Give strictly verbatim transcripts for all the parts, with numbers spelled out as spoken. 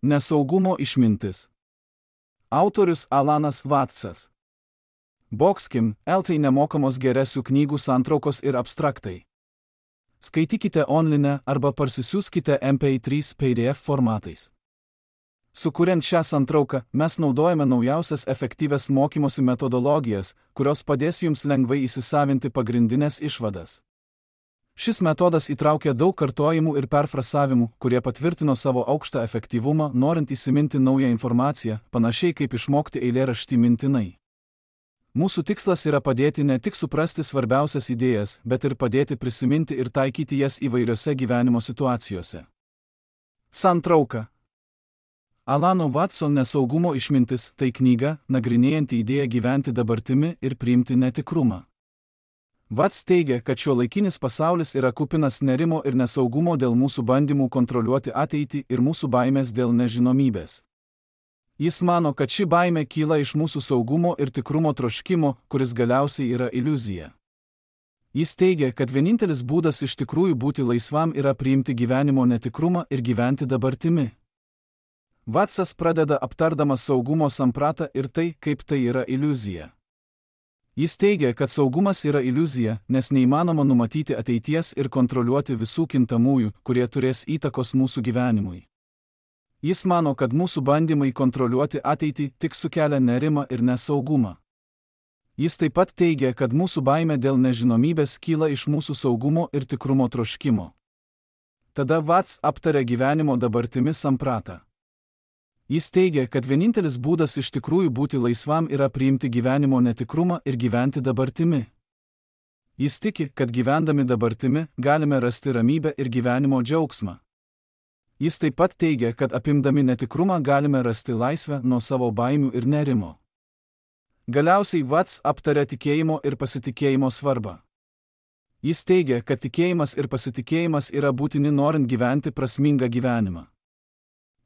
Nesaugumo išmintis. Autorius Alanas Vatsas. Boxkim, L T nemokamos geresių knygų santraukos ir abstraktai. Skaitykite online arba parsisiųskite M P trys P D F formatais. Sukuriant šią santrauką, mes naudojame naujausias efektyvias mokymosi metodologijas, kurios padės jums lengvai įsisavinti pagrindinės išvadas. Šis metodas įtraukia daug kartojimų ir perfrasavimų, kurie patvirtino savo aukštą efektyvumą, norint įsiminti naują informaciją, panašiai kaip išmokti eilėraštį mintinai. Mūsų tikslas yra padėti ne tik suprasti svarbiausias idėjas, bet ir padėti prisiminti ir taikyti jas įvairiose gyvenimo situacijose. Santrauka. Alano Vatso Nesaugumo išmintis – tai knyga, nagrinėjanti idėją gyventi dabartimi ir priimti netikrumą. Vats teigia, kad šiuolaikinis pasaulis yra kupinas nerimo ir nesaugumo dėl mūsų bandymų kontroliuoti ateitį ir mūsų baimės dėl nežinomybės. Jis mano, kad ši baimė kyla iš mūsų saugumo ir tikrumo troškimo, kuris galiausiai yra iliuzija. Jis teigia, kad vienintelis būdas iš tikrųjų būti laisvam yra priimti gyvenimo netikrumą ir gyventi dabartimi. Vatsas pradeda aptardamas saugumo sampratą ir tai, kaip tai yra iliuzija. Jis teigia, kad saugumas yra iliuzija, nes neįmanoma numatyti ateities ir kontroliuoti visų kintamųjų, kurie turės įtakos mūsų gyvenimui. Jis mano, kad mūsų bandymai kontroliuoti ateitį tik sukelia nerimą ir nesaugumą. Jis taip pat teigia, kad mūsų baimė dėl nežinomybės kyla iš mūsų saugumo ir tikrumo troškimo. Tada Vats aptarė gyvenimo dabartimi sampratą. Jis teigia, kad vienintelis būdas iš tikrųjų būti laisvam yra priimti gyvenimo netikrumą ir gyventi dabartimi. Jis tiki, kad gyvendami dabartimi galime rasti ramybę ir gyvenimo džiaugsmą. Jis taip pat teigia, kad apimdami netikrumą galime rasti laisvę nuo savo baimių ir nerimo. Galiausiai Vats aptarė tikėjimo ir pasitikėjimo svarbą. Jis teigia, kad tikėjimas ir pasitikėjimas yra būtini norint gyventi prasmingą gyvenimą.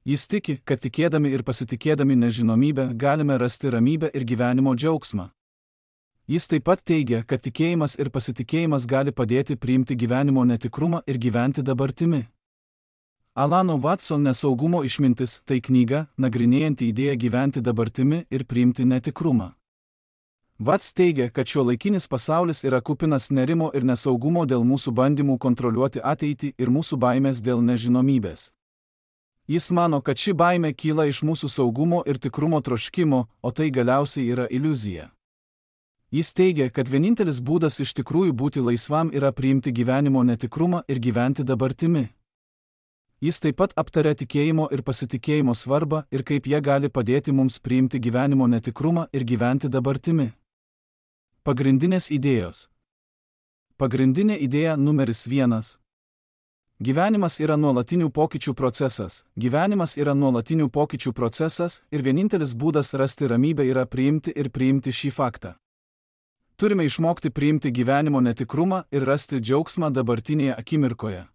Jis tiki, kad tikėdami ir pasitikėdami nežinomybę galime rasti ramybę ir gyvenimo džiaugsmą. Jis taip pat teigia, kad tikėjimas ir pasitikėjimas gali padėti priimti gyvenimo netikrumą ir gyventi dabartimi. Alano Vatso Nesaugumo išmintis – tai knyga, nagrinėjanti idėją gyventi dabartimi ir priimti netikrumą. Vats teigia, kad šiuolaikinis pasaulis yra kupinas nerimo ir nesaugumo dėl mūsų bandymų kontroliuoti ateitį ir mūsų baimės dėl nežinomybės. Jis mano, kad ši baimė kyla iš mūsų saugumo ir tikrumo troškimo, o tai galiausiai yra iliuzija. Jis teigia, kad vienintelis būdas iš tikrųjų būti laisvam yra priimti gyvenimo netikrumą ir gyventi dabartimi. Jis taip pat aptarė tikėjimo ir pasitikėjimo svarbą ir kaip jie gali padėti mums priimti gyvenimo netikrumą ir gyventi dabartimi. Pagrindinės idėjos. Pagrindinė idėja numeris vienas. Gyvenimas yra nuolatinių pokyčių procesas, gyvenimas yra nuolatinių pokyčių procesas ir vienintelis būdas rasti ramybę yra priimti ir priimti šį faktą. Turime išmokti priimti gyvenimo netikrumą ir rasti džiaugsmą dabartinėje akimirkoje.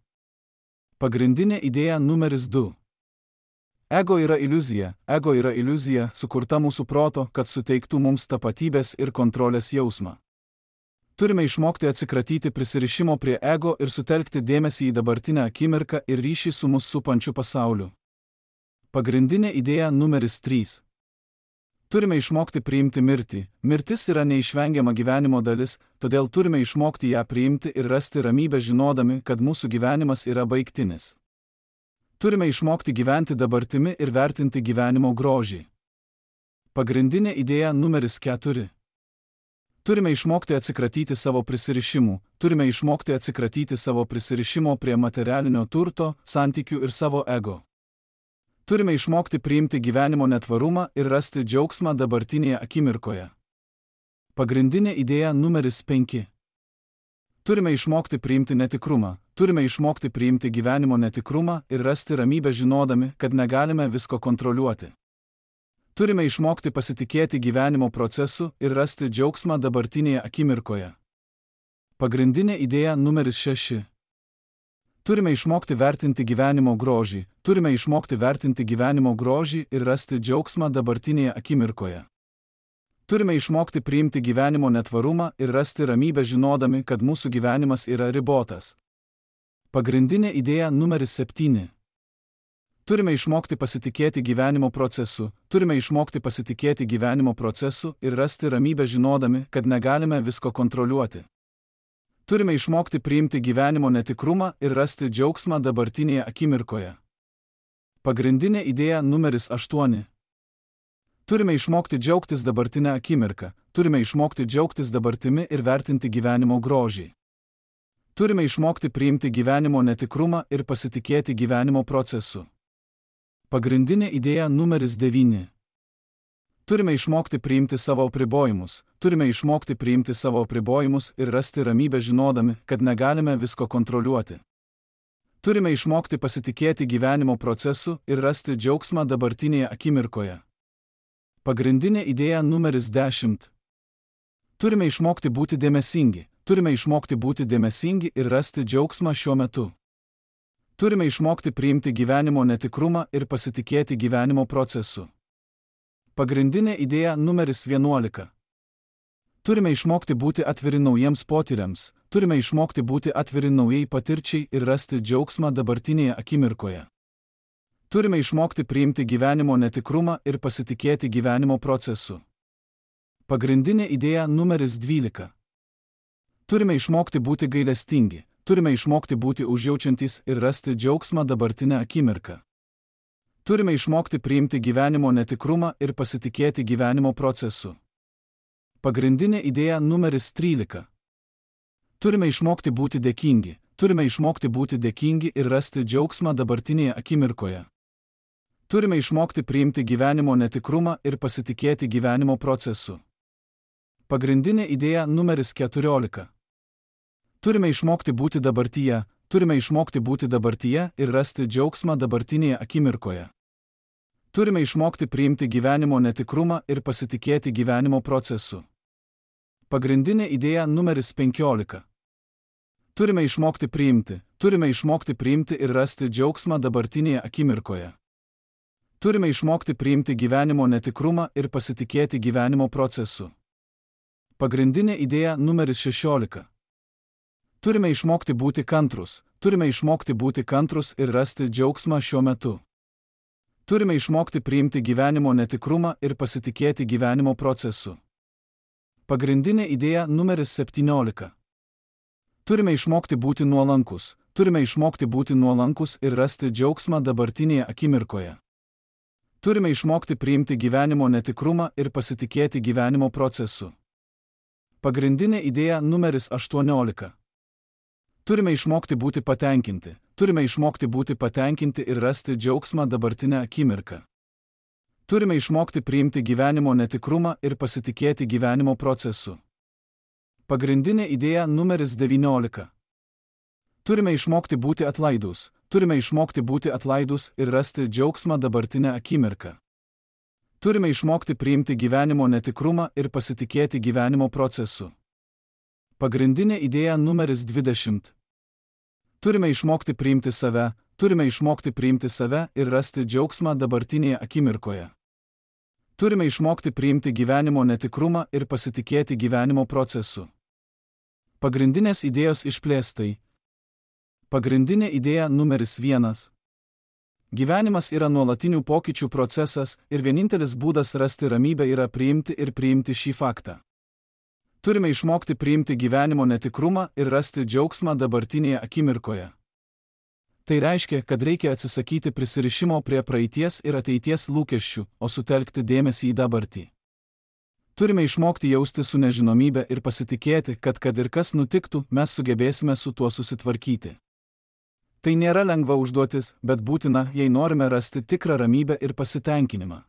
Pagrindinė idėja numeris du. Ego yra iliuzija, ego yra iliuzija, sukurta mūsų proto, kad suteiktų mums tapatybės ir kontrolės jausmą. Turime išmokti atsikratyti prisirišimo prie ego ir sutelkti dėmesį į dabartinę akimirką ir ryšį su mus supančiu pasauliu. Pagrindinė idėja numeris trys. Turime išmokti priimti mirtį. Mirtis yra neišvengiama gyvenimo dalis, todėl turime išmokti ją priimti ir rasti ramybę žinodami, kad mūsų gyvenimas yra baigtinis. Turime išmokti gyventi dabartimi ir vertinti gyvenimo grožį. Pagrindinė idėja numeris keturi. Turime išmokti atsikratyti savo prisirišimų, turime išmokti atsikratyti savo prisirišimo prie materialinio turto, santykių ir savo ego. Turime išmokti priimti gyvenimo netvarumą ir rasti džiaugsmą dabartinėje akimirkoje. Pagrindinė idėja numeris penki. Turime išmokti priimti netikrumą, turime išmokti priimti gyvenimo netikrumą ir rasti ramybę žinodami, kad negalime visko kontroliuoti. Turime išmokti pasitikėti gyvenimo procesu ir rasti džiaugsmą dabartinėje akimirkoje. Pagrindinė idėja numeris šeši. Turime išmokti vertinti gyvenimo grožį, turime išmokti vertinti gyvenimo grožį ir rasti džiaugsmą dabartinėje akimirkoje. Turime išmokti priimti gyvenimo netvarumą ir rasti ramybę žinodami, kad mūsų gyvenimas yra ribotas. Pagrindinė idėja numeris septyni. Turime išmokti pasitikėti gyvenimo procesu, turime išmokti pasitikėti gyvenimo procesu ir rasti ramybę žinodami, kad negalime visko kontroliuoti. Turime išmokti priimti gyvenimo netikrumą ir rasti džiaugsmą dabartinėje akimirkoje. Pagrindinė idėja numeris aštuoni. Turime išmokti džiaugtis dabartinę akimirką, turime išmokti džiaugtis dabartimi ir vertinti gyvenimo grožį. Turime išmokti priimti gyvenimo netikrumą ir pasitikėti gyvenimo procesu. Pagrindinė idėja numeris devyni. Turime išmokti priimti savo apribojimus, turime išmokti priimti savo apribojimus ir rasti ramybę žinodami, kad negalime visko kontroliuoti. Turime išmokti pasitikėti gyvenimo procesu ir rasti džiaugsmą dabartinėje akimirkoje. Pagrindinė idėja numeris dešimt. Turime išmokti būti dėmesingi, turime išmokti būti dėmesingi ir rasti džiaugsmą šiuo metu. Turime išmokti priimti gyvenimo netikrumą ir pasitikėti gyvenimo procesu. Pagrindinė idėja numeris vienuolika. Turime išmokti būti atviri naujiems potyriams, turime išmokti būti atviri naujai patirčiai ir rasti džiaugsmą dabartinėje akimirkoje. Turime išmokti priimti gyvenimo netikrumą ir pasitikėti gyvenimo procesu. Pagrindinė idėja numeris dvylika. Turime išmokti būti gailestingi, turime išmokti būti užjaučiantys ir rasti džiaugsmą dabartinę akimirką. Turime išmokti priimti gyvenimo netikrumą ir pasitikėti gyvenimo procesu. Pagrindinė idėja numeris trylika. Turime išmokti būti dėkingi, turime išmokti būti dėkingi ir rasti džiaugsmą dabartinėje akimirkoje. Turime išmokti priimti gyvenimo netikrumą ir pasitikėti gyvenimo procesu. Pagrindinė idėja numeris keturiolika. Turime išmokti būti dabartyje, turime išmokti būti dabartyje ir rasti džiaugsmą dabartinėje akimirkoje. Turime išmokti priimti gyvenimo netikrumą ir pasitikėti gyvenimo procesu. Pagrindinė idėja numeris penkiolika. Turime išmokti priimti, turime išmokti priimti ir rasti džiaugsmą dabartinėje akimirkoje. Turime išmokti priimti gyvenimo netikrumą ir pasitikėti gyvenimo procesu. Pagrindinė idėja numeris šešiolika. Turime išmokti būti kantrus, turime išmokti būti kantrus ir rasti džiaugsmą šiuo metu. Turime išmokti priimti gyvenimo netikrumą ir pasitikėti gyvenimo procesu. Pagrindinė idėja numeris septyniolika. Turime išmokti būti nuolankus, turime išmokti būti nuolankus ir rasti džiaugsmą dabartinėje akimirkoje. Turime išmokti priimti gyvenimo netikrumą ir pasitikėti gyvenimo procesu. Pagrindinė idėja numeris aštuoniolika. Turime išmokti būti patenkinti, turime išmokti būti patenkinti ir rasti džiaugsmą dabartinę akimirką. Turime išmokti priimti gyvenimo netikrumą ir pasitikėti gyvenimo procesu. Pagrindinė idėja numeris devyniolika. Turime išmokti būti atlaidūs, turime išmokti būti atlaidūs ir rasti džiaugsmą dabartinę akimirką. Turime išmokti priimti gyvenimo netikrumą ir pasitikėti gyvenimo procesu. Pagrindinė idėja numeris dvidešimt. Turime išmokti priimti save, turime išmokti priimti save ir rasti džiaugsmą dabartinėje akimirkoje. Turime išmokti priimti gyvenimo netikrumą ir pasitikėti gyvenimo procesu. Pagrindinės idėjos išplėstai. Pagrindinė idėja numeris vienas. Gyvenimas yra nuolatinių pokyčių procesas ir vienintelis būdas rasti ramybę yra priimti ir priimti šį faktą. Turime išmokti priimti gyvenimo netikrumą ir rasti džiaugsmą dabartinėje akimirkoje. Tai reiškia, kad reikia atsisakyti prisirišimo prie praeities ir ateities lūkesčių, o sutelkti dėmesį į dabartį. Turime išmokti jausti su nežinomybe ir pasitikėti, kad kad ir kas nutiktų, mes sugebėsime su tuo susitvarkyti. Tai nėra lengva užduotis, bet būtina, jei norime rasti tikrą ramybę ir pasitenkinimą.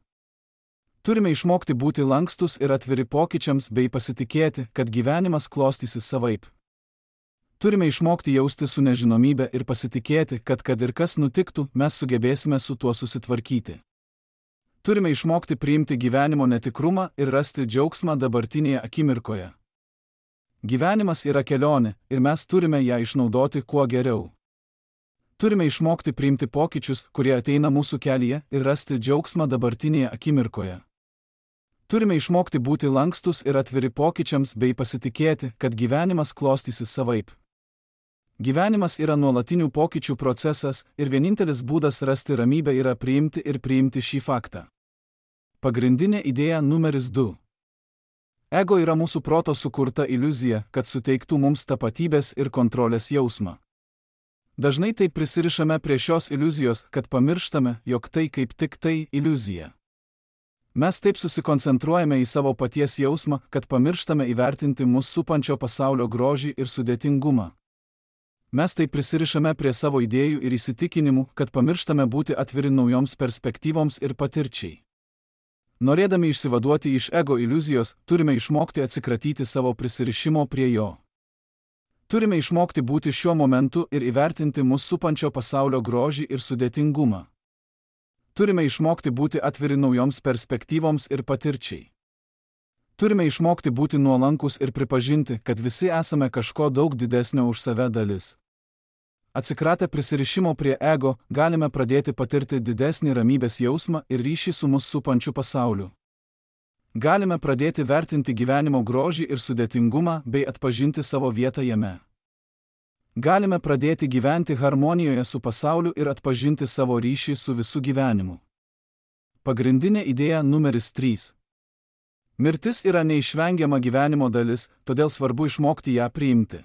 Turime išmokti būti lankstus ir atviri pokyčiams bei pasitikėti, kad gyvenimas klostysis savaip. Turime išmokti jausti su nežinomybe ir pasitikėti, kad kad ir kas nutiktų, mes sugebėsime su tuo susitvarkyti. Turime išmokti priimti gyvenimo netikrumą ir rasti džiaugsmą dabartinėje akimirkoje. Gyvenimas yra kelionė ir mes turime ją išnaudoti kuo geriau. Turime išmokti priimti pokyčius, kurie ateina mūsų kelyje ir rasti džiaugsmą dabartinėje akimirkoje. Turime išmokti būti lankstus ir atviri pokyčiams bei pasitikėti, kad gyvenimas klostysis savaip. Gyvenimas yra nuolatinių pokyčių procesas ir vienintelis būdas rasti ramybę yra priimti ir priimti šį faktą. Pagrindinė idėja numeris du. Ego yra mūsų proto sukurta iliuzija, kad suteiktų mums tapatybės ir kontrolės jausmą. Dažnai taip prisirišame prie šios iliuzijos, kad pamirštame, jog tai kaip tik tai iliuzija. Mes taip susikoncentruojame į savo paties jausmą, kad pamirštame įvertinti mus supančio pasaulio grožį ir sudėtingumą. Mes taip prisirišame prie savo idėjų ir įsitikinimų, kad pamirštame būti atviri naujoms perspektyvoms ir patirčiai. Norėdami išsivaduoti iš ego iliuzijos, turime išmokti atsikratyti savo prisirišimo prie jo. Turime išmokti būti šiuo momentu ir įvertinti mus supančio pasaulio grožį ir sudėtingumą. Turime išmokti būti atviri naujoms perspektyvoms ir patirčiai. Turime išmokti būti nuolankus ir pripažinti, kad visi esame kažko daug didesnio už save dalis. Atsikratę prisirišimo prie ego, galime pradėti patirti didesnį ramybės jausmą ir ryšį su mus supančiu pasauliu. Galime pradėti vertinti gyvenimo grožį ir sudėtingumą bei atpažinti savo vietą jame. Galime pradėti gyventi harmonijoje su pasauliu ir atpažinti savo ryšį su visu gyvenimu. Pagrindinė idėja numeris trys. Mirtis yra neišvengiama gyvenimo dalis, todėl svarbu išmokti ją priimti.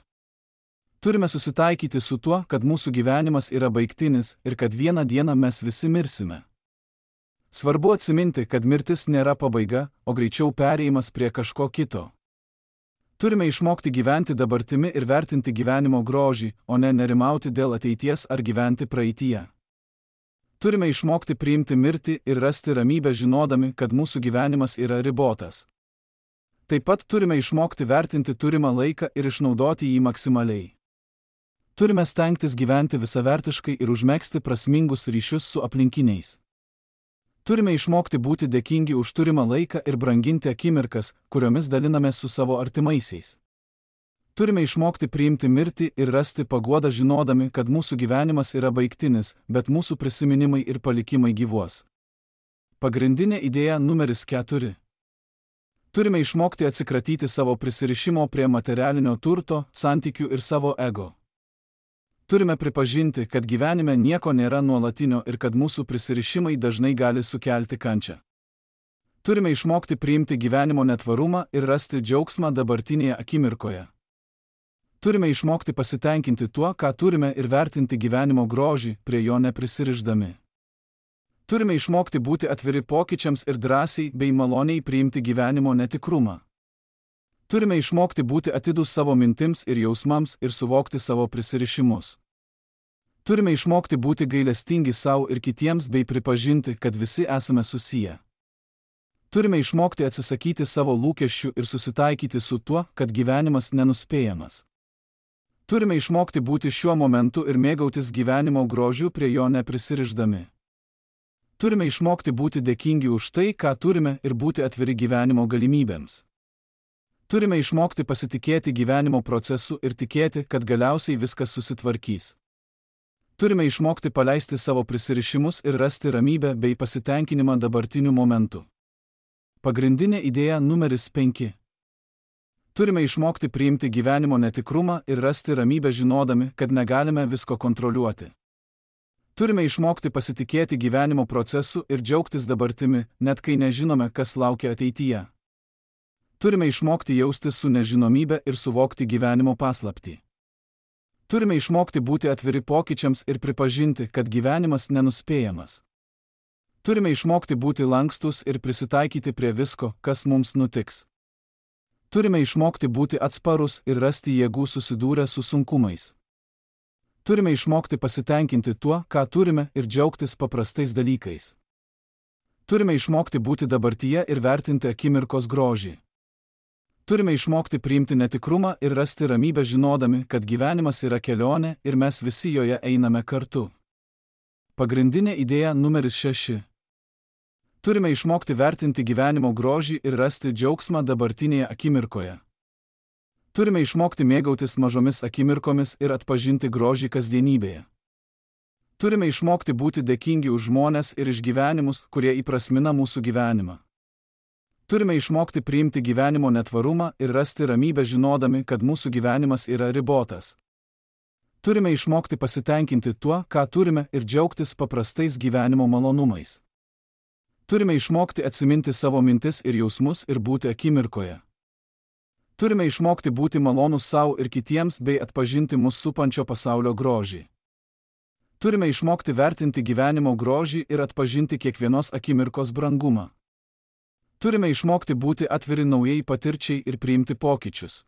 Turime susitaikyti su tuo, kad mūsų gyvenimas yra baigtinis ir kad vieną dieną mes visi mirsime. Svarbu atsiminti, kad mirtis nėra pabaiga, o greičiau perėjimas prie kažko kito. Turime išmokti gyventi dabartimi ir vertinti gyvenimo grožį, o ne nerimauti dėl ateities ar gyventi praeityje. Turime išmokti priimti mirtį ir rasti ramybę žinodami, kad mūsų gyvenimas yra ribotas. Taip pat turime išmokti vertinti turimą laiką ir išnaudoti jį maksimaliai. Turime stengtis gyventi visavertiškai ir užmegzti prasmingus ryšius su aplinkiniais. Turime išmokti būti dėkingi už turimą laiką ir branginti akimirkas, kuriomis dalinamės su savo artimaisiais. Turime išmokti priimti mirtį ir rasti paguodą žinodami, kad mūsų gyvenimas yra baigtinis, bet mūsų prisiminimai ir palikimai gyvuos. Pagrindinė idėja numeris keturi. Turime išmokti atsikratyti savo prisirišimo prie materialinio turto, santykių ir savo ego. Turime pripažinti, kad gyvenime nieko nėra nuolatinio ir kad mūsų prisirišimai dažnai gali sukelti kančią. Turime išmokti priimti gyvenimo netvarumą ir rasti džiaugsmą dabartinėje akimirkoje. Turime išmokti pasitenkinti tuo, ką turime ir vertinti gyvenimo grožį, prie jo neprisirišdami. Turime išmokti būti atviri pokyčiams ir drąsiai bei maloniai priimti gyvenimo netikrumą. Turime išmokti būti atidūs savo mintims ir jausmams ir suvokti savo prisirišimus. Turime išmokti būti gailestingi savo ir kitiems bei pripažinti, kad visi esame susiję. Turime išmokti atsisakyti savo lūkesčių ir susitaikyti su tuo, kad gyvenimas nenuspėjamas. Turime išmokti būti šiuo momentu ir mėgautis gyvenimo grožiu prie jo neprisirišdami. Turime išmokti būti dėkingi už tai, ką turime ir būti atviri gyvenimo galimybėms. Turime išmokti pasitikėti gyvenimo procesu ir tikėti, kad galiausiai viskas susitvarkys. Turime išmokti paleisti savo prisirišimus ir rasti ramybę bei pasitenkinimą dabartiniu momentu. Pagrindinė idėja numeris penki. Turime išmokti priimti gyvenimo netikrumą ir rasti ramybę žinodami, kad negalime visko kontroliuoti. Turime išmokti pasitikėti gyvenimo procesu ir džiaugtis dabartimi, net kai nežinome, kas laukia ateityje. Turime išmokti jaustis su nežinomybe ir suvokti gyvenimo paslaptį. Turime išmokti būti atviri pokyčiams ir pripažinti, kad gyvenimas nenuspėjamas. Turime išmokti būti lankstus ir prisitaikyti prie visko, kas mums nutiks. Turime išmokti būti atsparus ir rasti jėgų susidūrę su sunkumais. Turime išmokti pasitenkinti tuo, ką turime ir džiaugtis paprastais dalykais. Turime išmokti būti dabartyje ir vertinti akimirkos grožį. Turime išmokti priimti netikrumą ir rasti ramybę žinodami, kad gyvenimas yra kelionė ir mes visi joje einame kartu. Pagrindinė idėja numeris šeši. Turime išmokti vertinti gyvenimo grožį ir rasti džiaugsmą dabartinėje akimirkoje. Turime išmokti mėgautis mažomis akimirkomis ir atpažinti grožį kasdienybėje. Turime išmokti būti dėkingi už žmones ir išgyvenimus, kurie įprasmina mūsų gyvenimą. Turime išmokti priimti gyvenimo netvarumą ir rasti ramybę žinodami, kad mūsų gyvenimas yra ribotas. Turime išmokti pasitenkinti tuo, ką turime ir džiaugtis paprastais gyvenimo malonumais. Turime išmokti atsiminti savo mintis ir jausmus ir būti akimirkoje. Turime išmokti būti malonus savo ir kitiems bei atpažinti mus supančio pasaulio grožį. Turime išmokti vertinti gyvenimo grožį ir atpažinti kiekvienos akimirkos brangumą. Turime išmokti būti atviri naujai patirčiai ir priimti pokyčius.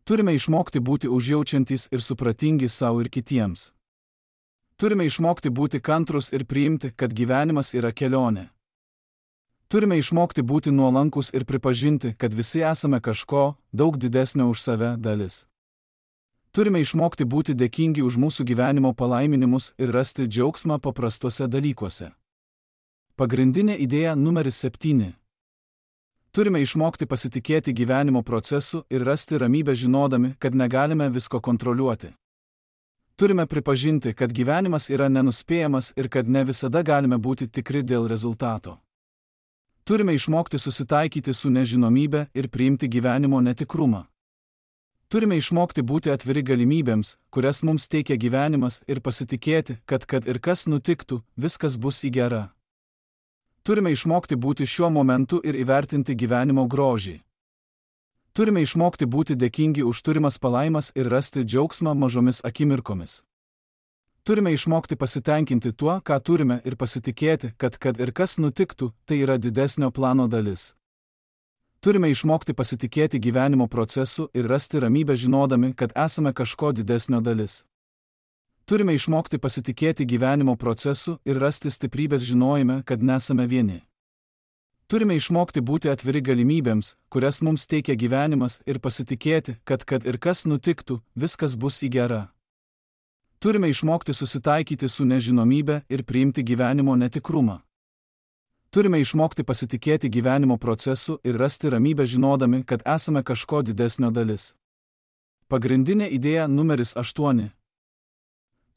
Turime išmokti būti užjaučiantys ir supratingi savo ir kitiems. Turime išmokti būti kantrus ir priimti, kad gyvenimas yra kelionė. Turime išmokti būti nuolankus ir pripažinti, kad visi esame kažko daug didesnio už save dalis. Turime išmokti būti dėkingi už mūsų gyvenimo palaiminimus ir rasti džiaugsmą paprastuose dalykuose. Pagrindinė idėja numeris septyni. Turime išmokti pasitikėti gyvenimo procesu ir rasti ramybę žinodami, kad negalime visko kontroliuoti. Turime pripažinti, kad gyvenimas yra nenuspėjamas ir kad ne visada galime būti tikri dėl rezultato. Turime išmokti susitaikyti su nežinomybe ir priimti gyvenimo netikrumą. Turime išmokti būti atviri galimybėms, kurias mums teikia gyvenimas ir pasitikėti, kad kad ir kas nutiktų, viskas bus į gera. Turime išmokti būti šiuo momentu ir įvertinti gyvenimo grožį. Turime išmokti būti dėkingi už turimas palaimas ir rasti džiaugsmą mažomis akimirkomis. Turime išmokti pasitenkinti tuo, ką turime ir pasitikėti, kad kad ir kas nutiktų, tai yra didesnio plano dalis. Turime išmokti pasitikėti gyvenimo procesu ir rasti ramybę žinodami, kad esame kažko didesnio dalis. Turime išmokti pasitikėti gyvenimo procesu ir rasti stiprybės žinojime, kad nesame vieni. Turime išmokti būti atviri galimybėms, kurias mums teikia gyvenimas ir pasitikėti, kad kad ir kas nutiktų, viskas bus į gera. Turime išmokti susitaikyti su nežinomybe ir priimti gyvenimo netikrumą. Turime išmokti pasitikėti gyvenimo procesu ir rasti ramybę žinodami, kad esame kažko didesnio dalis. Pagrindinė idėja numeris aštuoni.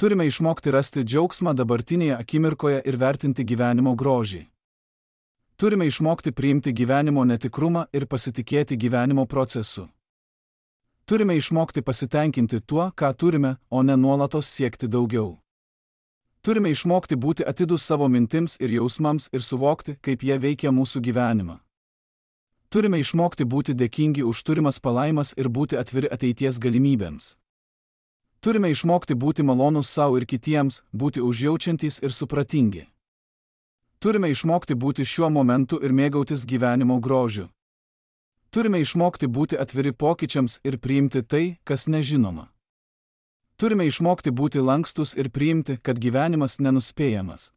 Turime išmokti rasti džiaugsmą dabartinėje akimirkoje ir vertinti gyvenimo grožį. Turime išmokti priimti gyvenimo netikrumą ir pasitikėti gyvenimo procesu. Turime išmokti pasitenkinti tuo, ką turime, o ne nuolatos siekti daugiau. Turime išmokti būti atidūs savo mintims ir jausmams ir suvokti, kaip jie veikia mūsų gyvenimą. Turime išmokti būti dėkingi už turimas palaimas ir būti atviri ateities galimybėms. Turime išmokti būti malonus savo ir kitiems, būti užjaučiantys ir supratingi. Turime išmokti būti šiuo momentu ir mėgautis gyvenimo grožiu. Turime išmokti būti atviri pokyčiams ir priimti tai, kas nežinoma. Turime išmokti būti lankstus ir priimti, kad gyvenimas nenuspėjamas.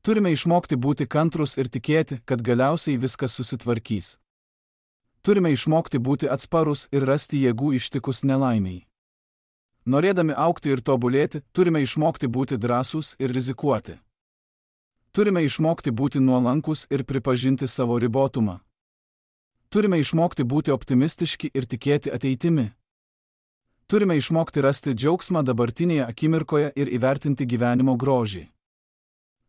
Turime išmokti būti kantrus ir tikėti, kad galiausiai viskas susitvarkys. Turime išmokti būti atsparus ir rasti jėgų ištikus nelaimiai. Norėdami augti ir tobulėti, turime išmokti būti drąsūs ir rizikuoti. Turime išmokti būti nuolankus ir pripažinti savo ribotumą. Turime išmokti būti optimistiški ir tikėti ateitimi. Turime išmokti rasti džiaugsmą dabartinėje akimirkoje ir įvertinti gyvenimo grožį.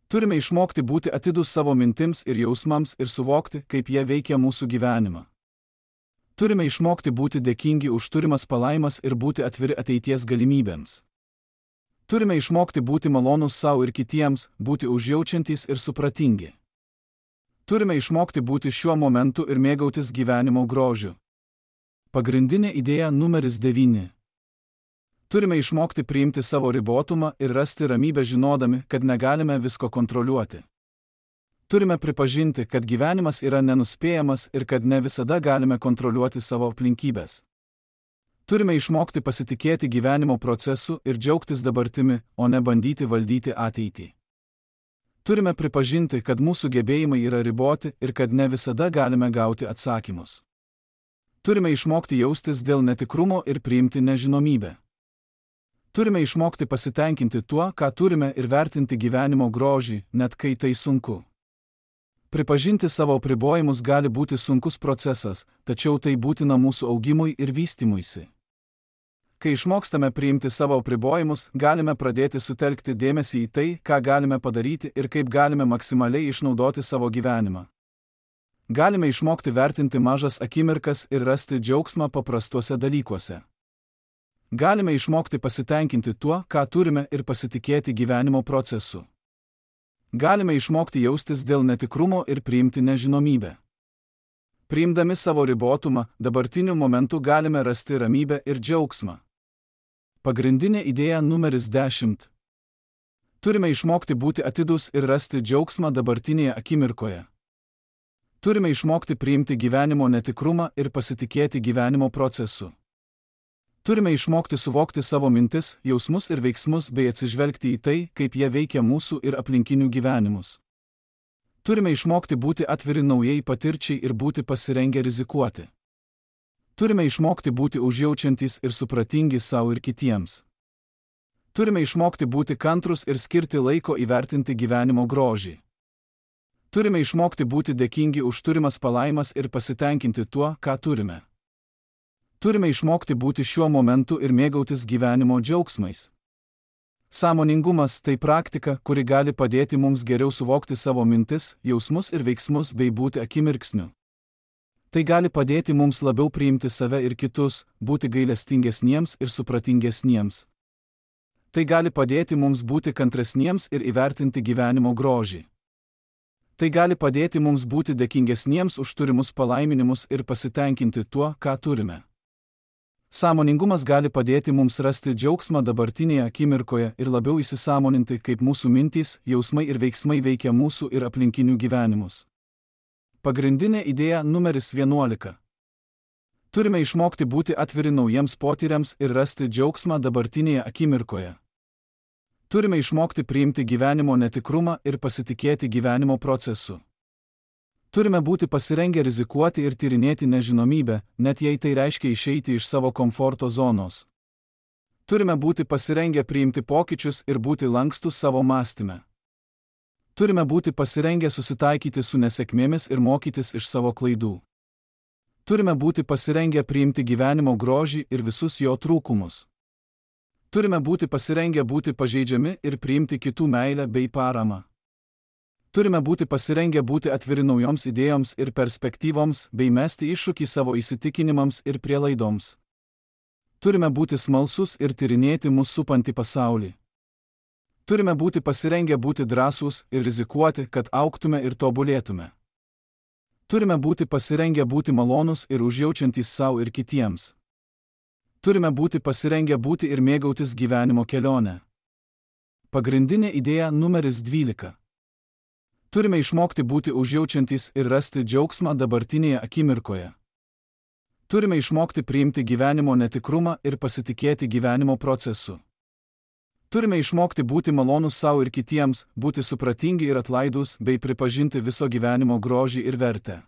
Turime išmokti būti atidūs savo mintims ir jausmams ir suvokti, kaip jie veikia mūsų gyvenimą. Turime išmokti būti dėkingi už turimas palaimas ir būti atviri ateities galimybėms. Turime išmokti būti malonus savo ir kitiems, būti užjaučiantys ir supratingi. Turime išmokti būti šiuo momentu ir mėgautis gyvenimo grožiu. Pagrindinė idėja numeris devyni. Turime išmokti priimti savo ribotumą ir rasti ramybę žinodami, kad negalime visko kontroliuoti. Turime pripažinti, kad gyvenimas yra nenuspėjamas ir kad ne visada galime kontroliuoti savo aplinkybės. Turime išmokti pasitikėti gyvenimo procesu ir džiaugtis dabartimi, o ne bandyti valdyti ateitį. Turime pripažinti, kad mūsų gebėjimai yra riboti ir kad ne visada galime gauti atsakymus. Turime išmokti jaustis dėl netikrumo ir priimti nežinomybę. Turime išmokti pasitenkinti tuo, ką turime ir vertinti gyvenimo grožį, net kai tai sunku. Pripažinti savo apribojimus gali būti sunkus procesas, tačiau tai būtina mūsų augimui ir vystymuisi. Kai išmokstame priimti savo apribojimus, galime pradėti sutelkti dėmesį į tai, ką galime padaryti ir kaip galime maksimaliai išnaudoti savo gyvenimą. Galime išmokti vertinti mažas akimirkas ir rasti džiaugsmą paprastuose dalykuose. Galime išmokti pasitenkinti tuo, ką turime ir pasitikėti gyvenimo procesu. Galime išmokti jaustis dėl netikrumo ir priimti nežinomybę. Priimdami savo ribotumą, dabartiniu momentu galime rasti ramybę ir džiaugsmą. Pagrindinė idėja numeris dešimt. Turime išmokti būti atidūs ir rasti džiaugsmą dabartinėje akimirkoje. Turime išmokti priimti gyvenimo netikrumą ir pasitikėti gyvenimo procesu. Turime išmokti suvokti savo mintis, jausmus ir veiksmus bei atsižvelgti į tai, kaip jie veikia mūsų ir aplinkinių gyvenimus. Turime išmokti būti atviri naujai patirčiai ir būti pasirengę rizikuoti. Turime išmokti būti užjaučiantys ir supratingi savo ir kitiems. Turime išmokti būti kantrus ir skirti laiko įvertinti gyvenimo grožį. Turime išmokti būti dėkingi už turimas palaimas ir pasitenkinti tuo, ką turime. Turime išmokti būti šiuo momentu ir mėgautis gyvenimo džiaugsmais. Sąmoningumas tai praktika, kuri gali padėti mums geriau suvokti savo mintis, jausmus ir veiksmus bei būti akimirksniu. Tai gali padėti mums labiau priimti save ir kitus, būti gailestingesniems ir supratingesniems. Tai gali padėti mums būti kantresniems ir įvertinti gyvenimo grožį. Tai gali padėti mums būti dėkingesniems už turimus palaiminimus ir pasitenkinti tuo, ką turime. Sąmoningumas gali padėti mums rasti džiaugsmą dabartinėje akimirkoje ir labiau įsisąmoninti, kaip mūsų mintys, jausmai ir veiksmai veikia mūsų ir aplinkinių gyvenimus. Pagrindinė idėja numeris vienuolika. Turime išmokti būti atviri naujiems potyriams ir rasti džiaugsmą dabartinėje akimirkoje. Turime išmokti priimti gyvenimo netikrumą ir pasitikėti gyvenimo procesu. Turime būti pasirengę rizikuoti ir tyrinėti nežinomybę, net jei tai reiškia išeiti iš savo komforto zonos. Turime būti pasirengę priimti pokyčius ir būti lankstus savo mąstyme. Turime būti pasirengę susitaikyti su nesėkmėmis ir mokytis iš savo klaidų. Turime būti pasirengę priimti gyvenimo grožį ir visus jo trūkumus. Turime būti pasirengę būti pažeidžiami ir priimti kitų meilę bei paramą. Turime būti pasirengę būti atviri naujoms idėjoms ir perspektyvoms bei mesti iššūkį savo įsitikinimams ir prielaidoms. Turime būti smalsus ir tyrinėti mus supantį pasaulį. Turime būti pasirengę būti drąsūs ir rizikuoti, kad augtume ir tobulėtume. Turime būti pasirengę būti malonūs ir užjaučiantys savo ir kitiems. Turime būti pasirengę būti ir mėgautis gyvenimo kelionę. Pagrindinė idėja numeris dvylika. Turime išmokti būti užjaučiantys ir rasti džiaugsmą dabartinėje akimirkoje. Turime išmokti priimti gyvenimo netikrumą ir pasitikėti gyvenimo procesu. Turime išmokti būti malonūs savo ir kitiems, būti supratingi ir atlaidūs bei pripažinti viso gyvenimo grožį ir vertę.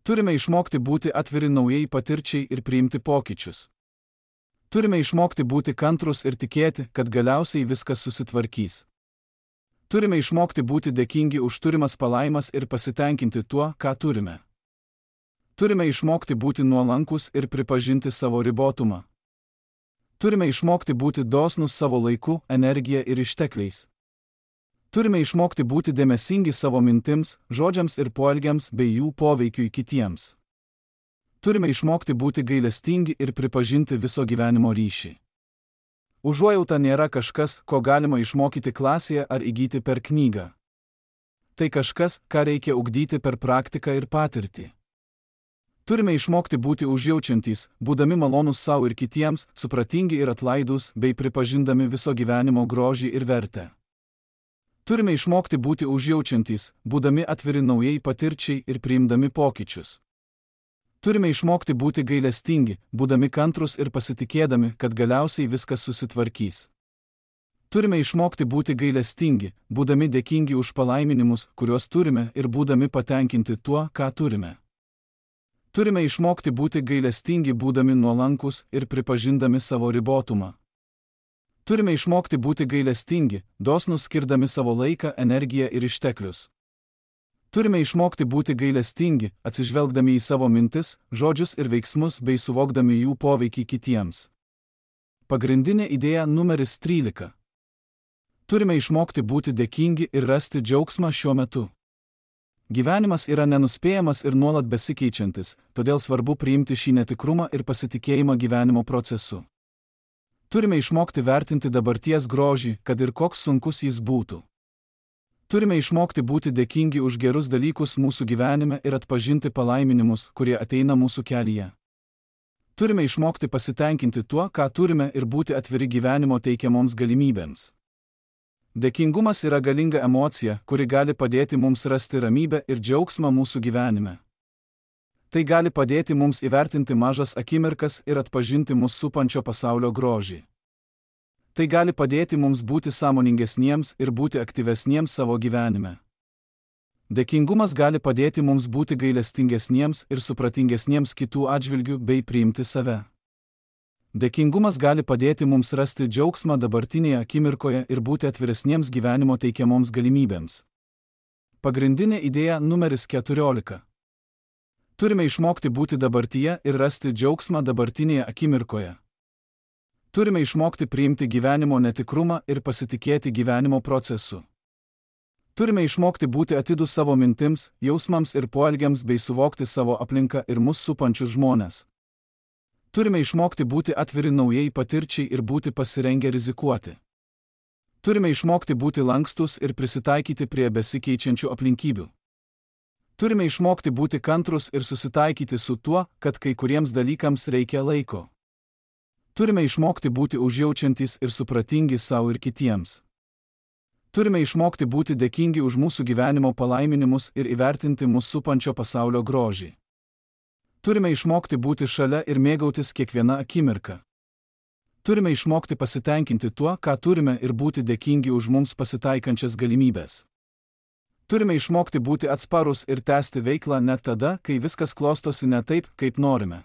Turime išmokti būti atviri naujai patirčiai ir priimti pokyčius. Turime išmokti būti kantrus ir tikėti, kad galiausiai viskas susitvarkys. Turime išmokti būti dėkingi už turimas palaimas ir pasitenkinti tuo, ką turime. Turime išmokti būti nuolankus ir pripažinti savo ribotumą. Turime išmokti būti dosnus savo laiku, energija ir ištekliais. Turime išmokti būti dėmesingi savo mintims, žodžiams ir poelgiams bei jų poveikiui kitiems. Turime išmokti būti gailestingi ir pripažinti viso gyvenimo ryšį. Užuojauta nėra kažkas, ko galima išmokyti klasėje ar įgyti per knygą. Tai kažkas, ką reikia ugdyti per praktiką ir patirtį. Turime išmokti būti užjaučiantys, būdami malonūs savo ir kitiems, supratingi ir atlaidūs bei pripažindami viso gyvenimo grožį ir vertę. Turime išmokti būti užjaučiantys, būdami atviri naujai patirčiai ir priimdami pokyčius. Turime išmokti būti gailestingi, būdami kantrus ir pasitikėdami, kad galiausiai viskas susitvarkys. Turime išmokti būti gailestingi, būdami dėkingi už palaiminimus, kuriuos turime ir būdami patenkinti tuo, ką turime. Turime išmokti būti gailestingi, būdami nuolankus ir pripažindami savo ribotumą. Turime išmokti būti gailestingi, dosnus skirdami savo laiką, energiją ir išteklius. Turime išmokti būti gailestingi, atsižvelgdami į savo mintis, žodžius ir veiksmus bei suvokdami jų poveikį kitiems. Pagrindinė idėja numeris trylika. Turime išmokti būti dėkingi ir rasti džiaugsmą šiuo metu. Gyvenimas yra nenuspėjamas ir nuolat besikeičiantis, todėl svarbu priimti šį netikrumą ir pasitikėjimą gyvenimo procesu. Turime išmokti vertinti dabarties grožį, kad ir koks sunkus jis būtų. Turime išmokti būti dėkingi už gerus dalykus mūsų gyvenime ir atpažinti palaiminimus, kurie ateina mūsų kelyje. Turime išmokti pasitenkinti tuo, ką turime ir būti atviri gyvenimo teikiamoms galimybėms. Dėkingumas yra galinga emocija, kuri gali padėti mums rasti ramybę ir džiaugsmą mūsų gyvenime. Tai gali padėti mums įvertinti mažas akimirkas ir atpažinti mus supančio pasaulio grožį. Tai gali padėti mums būti sąmoningesniems ir būti aktyvesniems savo gyvenime. Dėkingumas gali padėti mums būti gailestingesniems ir supratingesniems kitų atžvilgių bei priimti save. Dėkingumas gali padėti mums rasti džiaugsmą dabartinėje akimirkoje ir būti atviresniems gyvenimo teikiamoms galimybėms. Pagrindinė idėja numeris keturiolika. Turime išmokti būti dabartyje ir rasti džiaugsmą dabartinėje akimirkoje. Turime išmokti priimti gyvenimo netikrumą ir pasitikėti gyvenimo procesu. Turime išmokti būti atidūs savo mintims, jausmams ir poelgiams bei suvokti savo aplinką ir mus supančius žmones. Turime išmokti būti atviri naujai patirčiai ir būti pasirengę rizikuoti. Turime išmokti būti lankstus ir prisitaikyti prie besikeičiančių aplinkybių. Turime išmokti būti kantrus ir susitaikyti su tuo, kad kai kuriems dalykams reikia laiko. Turime išmokti būti užjaučiantys ir supratingi savo ir kitiems. Turime išmokti būti dėkingi už mūsų gyvenimo palaiminimus ir įvertinti mūsų supančio pasaulio grožį. Turime išmokti būti šalia ir mėgautis kiekviena akimirka. Turime išmokti pasitenkinti tuo, ką turime ir būti dėkingi už mums pasitaikančias galimybės. Turime išmokti būti atsparus ir tęsti veiklą net tada, kai viskas klostosi ne taip, kaip norime.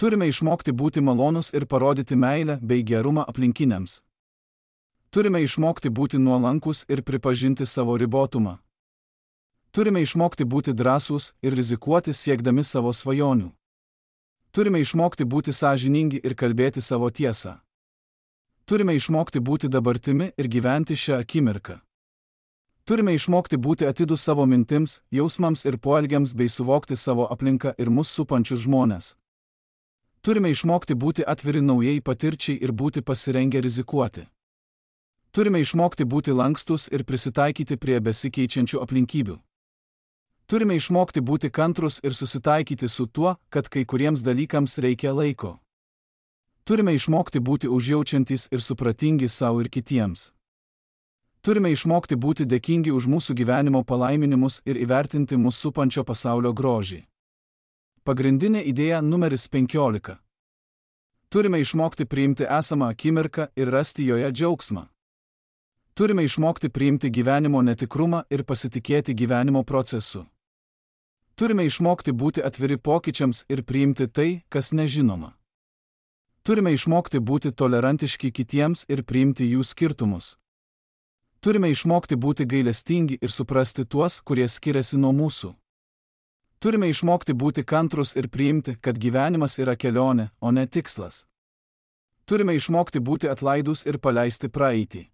Turime išmokti būti malonus ir parodyti meilę bei gerumą aplinkiniams. Turime išmokti būti nuolankus ir pripažinti savo ribotumą. Turime išmokti būti drąsūs ir rizikuoti siekdami savo svajonių. Turime išmokti būti sąžiningi ir kalbėti savo tiesą. Turime išmokti būti dabartimi ir gyventi šią akimirką. Turime išmokti būti atidūs savo mintims, jausmams ir poelgiams bei suvokti savo aplinką ir mus supančius žmones. Turime išmokti būti atviri naujai patirčiai ir būti pasirengę rizikuoti. Turime išmokti būti lankstus ir prisitaikyti prie besikeičiančių aplinkybių. Turime išmokti būti kantrus ir susitaikyti su tuo, kad kai kuriems dalykams reikia laiko. Turime išmokti būti užjaučiantys ir supratingi savo ir kitiems. Turime išmokti būti dėkingi už mūsų gyvenimo palaiminimus ir įvertinti mūsų supančio pasaulio grožį. Pagrindinė idėja numeris penkiolika. Turime išmokti priimti esamą akimirką ir rasti joje džiaugsmą. Turime išmokti priimti gyvenimo netikrumą ir pasitikėti gyvenimo procesu. Turime išmokti būti atviri pokyčiams ir priimti tai, kas nežinoma. Turime išmokti būti tolerantiški kitiems ir priimti jų skirtumus. Turime išmokti būti gailestingi ir suprasti tuos, kurie skiriasi nuo mūsų. Turime išmokti būti kantrus ir priimti, kad gyvenimas yra kelionė, o ne tikslas. Turime išmokti būti atlaidus ir paleisti praeitį.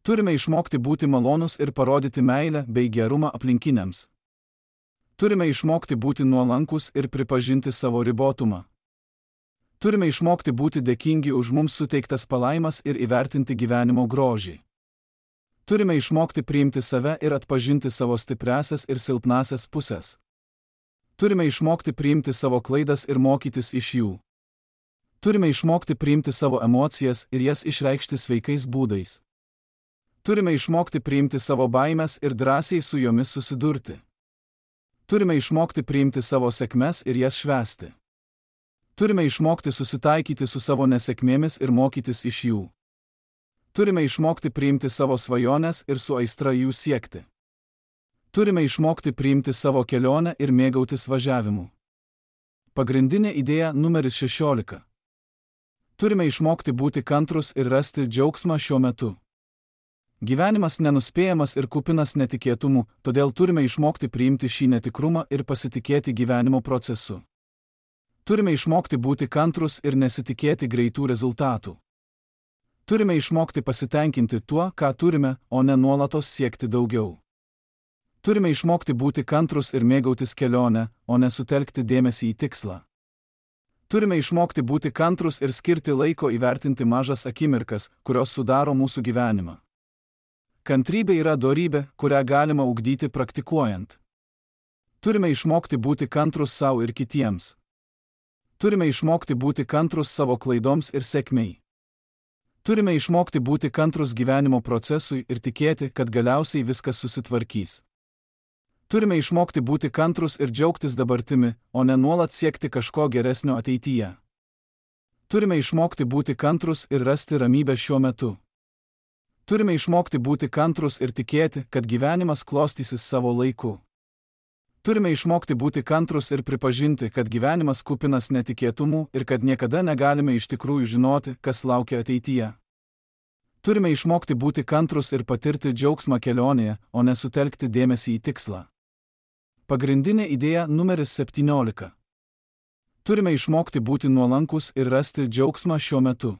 Turime išmokti būti malonus ir parodyti meilę bei gerumą aplinkiniams. Turime išmokti būti nuolankus ir pripažinti savo ribotumą. Turime išmokti būti dėkingi už mums suteiktas palaimas ir įvertinti gyvenimo grožį. Turime išmokti priimti save ir atpažinti savo stipriasias ir silpnasias pusės. Turime išmokti priimti savo klaidas ir mokytis iš jų. Turime išmokti priimti savo emocijas ir jas išreikšti sveikais būdais. Turime išmokti priimti savo baimes ir drąsiai su jomis susidurti. Turime išmokti priimti savo sėkmes ir jas švęsti. Turime išmokti susitaikyti su savo nesėkmėmis ir mokytis iš jų. Turime išmokti priimti savo svajones ir su aistra jų siekti. Turime išmokti priimti savo kelionę ir mėgautis važiavimu. Pagrindinė idėja numeris šešiolika. Turime išmokti būti kantrus ir rasti džiaugsmą šiuo metu. Gyvenimas nenuspėjamas ir kupinas netikėtumų, todėl turime išmokti priimti šį netikrumą ir pasitikėti gyvenimo procesu. Turime išmokti būti kantrus ir nesitikėti greitų rezultatų. Turime išmokti pasitenkinti tuo, ką turime, o ne nuolatos siekti daugiau. Turime išmokti būti kantrus ir mėgautis kelionę, o ne sutelkti dėmesį į tikslą. Turime išmokti būti kantrus ir skirti laiko įvertinti mažas akimirkas, kurios sudaro mūsų gyvenimą. Kantrybė yra dorybė, kurią galima ugdyti praktikuojant. Turime išmokti būti kantrus savo ir kitiems. Turime išmokti būti kantrus savo klaidoms ir sėkmei. Turime išmokti būti kantrus gyvenimo procesui ir tikėti, kad galiausiai viskas susitvarkys. Turime išmokti būti kantrus ir džiaugtis dabartimi, o ne nuolat siekti kažko geresnio ateityje. Turime išmokti būti kantrus ir rasti ramybę šiuo metu. Turime išmokti būti kantrus ir tikėti, kad gyvenimas klostysis savo laiku. Turime išmokti būti kantrus ir pripažinti, kad gyvenimas kupinas netikėtumų ir kad niekada negalime iš tikrųjų žinoti, kas laukia ateityje. Turime išmokti būti kantrus ir patirti džiaugsmą kelionėje, o ne sutelkti dėmesį į tikslą. Pagrindinė idėja numeris septyniolika. Turime išmokti būti nuolankus ir rasti džiaugsmą šiuo metu.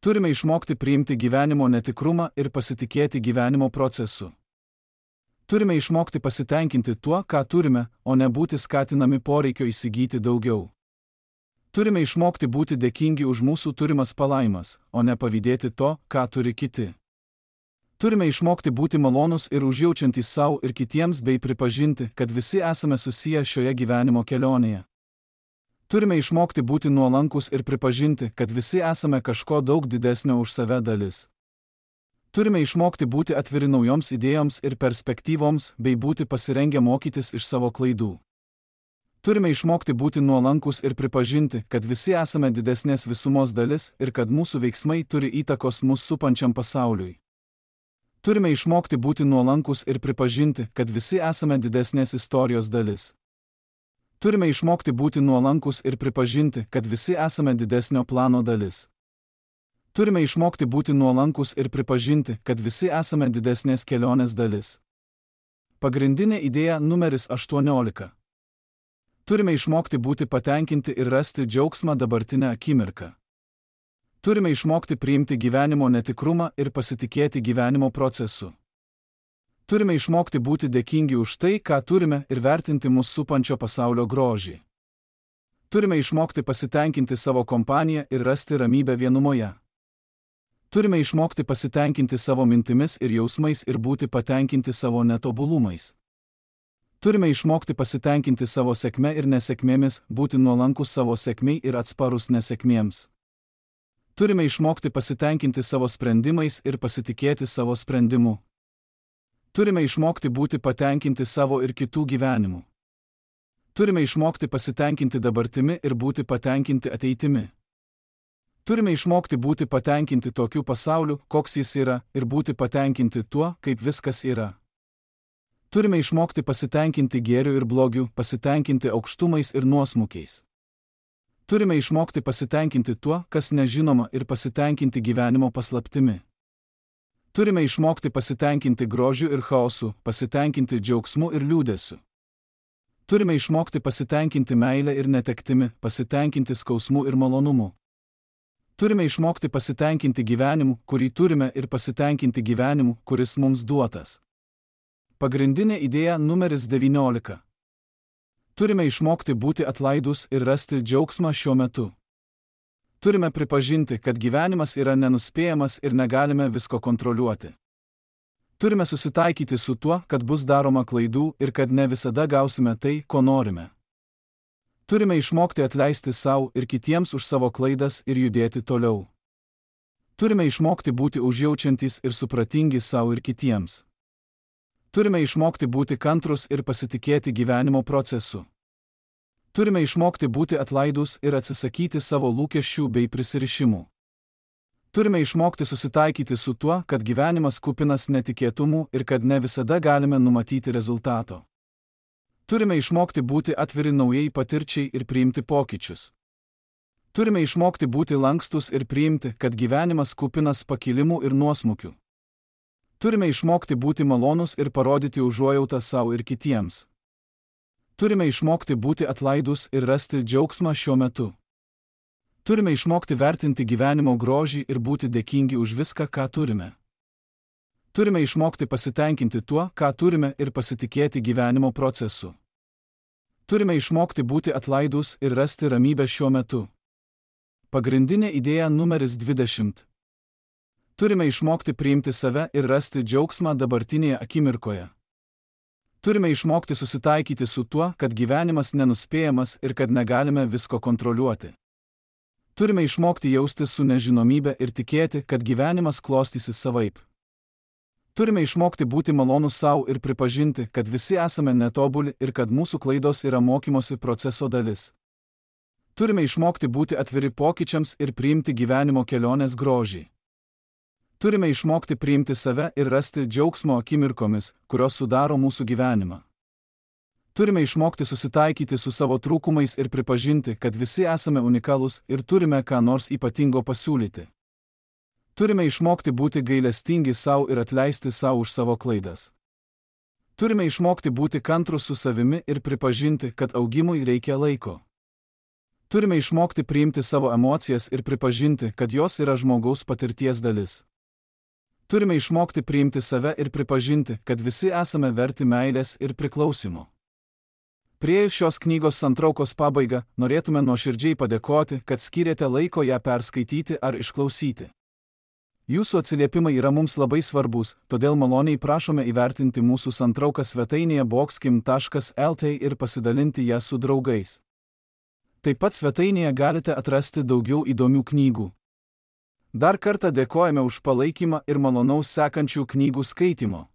Turime išmokti priimti gyvenimo netikrumą ir pasitikėti gyvenimo procesu. Turime išmokti pasitenkinti tuo, ką turime, o ne būti skatinami poreikio įsigyti daugiau. Turime išmokti būti dėkingi už mūsų turimas palaimas, o ne pavydėti to, ką turi kiti. Turime išmokti būti malonus ir užjaučiantys savo ir kitiems bei pripažinti, kad visi esame susiję šioje gyvenimo kelionėje. Turime išmokti būti nuolankus ir pripažinti, kad visi esame kažko daug didesnio už save dalis. Turime išmokti būti atviri naujoms idėjoms ir perspektyvoms bei būti pasirengę mokytis iš savo klaidų. Turime išmokti būti nuolankus ir pripažinti, kad visi esame didesnės visumos dalis ir kad mūsų veiksmai turi įtakos mus supančiam pasauliui. Turime išmokti būti nuolankus ir pripažinti, kad visi esame didesnės istorijos dalis. Turime išmokti būti nuolankus ir pripažinti, kad visi esame didesnio plano dalis. Turime išmokti būti nuolankus ir pripažinti, kad visi esame didesnės kelionės dalis. Pagrindinė idėja numeris aštuoniolika. Turime išmokti būti patenkinti ir rasti džiaugsmą dabartinę akimirką. Turime išmokti priimti gyvenimo netikrumą ir pasitikėti gyvenimo procesu. Turime išmokti būti dėkingi už tai, ką turime ir vertinti mus supančio pasaulio grožį. Turime išmokti pasitenkinti savo kompaniją ir rasti ramybę vienumoje. Turime išmokti pasitenkinti savo mintimis ir jausmais ir būti patenkinti savo netobulumais. Turime išmokti pasitenkinti savo sėkme ir nesėkmėmis, būti nuolankus savo sėkmei ir atsparus nesėkmėms. Turime išmokti pasitenkinti savo sprendimais ir pasitikėti savo sprendimu. Turime išmokti būti patenkinti savo ir kitų gyvenimu. Turime išmokti pasitenkinti dabartimi ir būti patenkinti ateitimi. Turime išmokti būti patenkinti tokiu pasauliu, koks jis yra, ir būti patenkinti tuo, kaip viskas yra. Turime išmokti pasitenkinti gėriu ir blogiu, pasitenkinti aukštumais ir nuosmukiais. Turime išmokti pasitenkinti tuo, kas nežinoma, ir pasitenkinti gyvenimo paslaptimi. Turime išmokti pasitenkinti grožiu ir chaosu, pasitenkinti džiaugsmu ir liūdesiu. Turime išmokti pasitenkinti meilę ir netektimi, pasitenkinti skausmu ir malonumu. Turime išmokti pasitenkinti gyvenimu, kurį turime, ir pasitenkinti gyvenimu, kuris mums duotas. Pagrindinė idėja numeris devyniolika. Turime išmokti būti atlaidus ir rasti džiaugsmą šiuo metu. Turime pripažinti, kad gyvenimas yra nenuspėjamas ir negalime visko kontroliuoti. Turime susitaikyti su tuo, kad bus daroma klaidų ir kad ne visada gausime tai, ko norime. Turime išmokti atleisti sau ir kitiems už savo klaidas ir judėti toliau. Turime išmokti būti užjaučiantys ir supratingi sau ir kitiems. Turime išmokti būti kantrus ir pasitikėti gyvenimo procesu. Turime išmokti būti atlaidus ir atsisakyti savo lūkesčių bei prisirišimų. Turime išmokti susitaikyti su tuo, kad gyvenimas kupinas netikėtumų ir kad ne visada galime numatyti rezultato. Turime išmokti būti atviri naujai patirčiai ir priimti pokyčius. Turime išmokti būti lankstus ir priimti, kad gyvenimas kupinas pakilimų ir nuosmukių. Turime išmokti būti malonus ir parodyti užuojautą sau ir kitiems. Turime išmokti būti atlaidus ir rasti džiaugsmą šiuo metu. Turime išmokti vertinti gyvenimo grožį ir būti dėkingi už viską, ką turime. Turime išmokti pasitenkinti tuo, ką turime, ir pasitikėti gyvenimo procesu. Turime išmokti būti atlaidūs ir rasti ramybę šiuo metu. Pagrindinė idėja numeris dvidešimt. Turime išmokti priimti save ir rasti džiaugsmą dabartinėje akimirkoje. Turime išmokti susitaikyti su tuo, kad gyvenimas nenuspėjamas ir kad negalime visko kontroliuoti. Turime išmokti jaustis su nežinomybe ir tikėti, kad gyvenimas klostysis savaip. Turime išmokti būti malonūs savo ir pripažinti, kad visi esame netobuli ir kad mūsų klaidos yra mokymosi proceso dalis. Turime išmokti būti atviri pokyčiams ir priimti gyvenimo kelionės grožį. Turime išmokti priimti save ir rasti džiaugsmo akimirkomis, kurios sudaro mūsų gyvenimą. Turime išmokti susitaikyti su savo trūkumais ir pripažinti, kad visi esame unikalūs ir turime ką nors ypatingo pasiūlyti. Turime išmokti būti gailestingi savo ir atleisti savo už savo klaidas. Turime išmokti būti kantrūs su savimi ir pripažinti, kad augimui reikia laiko. Turime išmokti priimti savo emocijas ir pripažinti, kad jos yra žmogaus patirties dalis. Turime išmokti priimti save ir pripažinti, kad visi esame verti meilės ir priklausimo. Priėjus šios knygos santraukos pabaigą, norėtume nuoširdžiai padėkoti, kad skyrėte laiko ją perskaityti ar išklausyti. Jūsų atsiliepimai yra mums labai svarbus, todėl maloniai prašome įvertinti mūsų santrauką svetainėje boxkim taškas lt ir pasidalinti ją su draugais. Taip pat svetainėje galite atrasti daugiau įdomių knygų. Dar kartą dėkojame už palaikymą ir malonaus sekančių knygų skaitimo.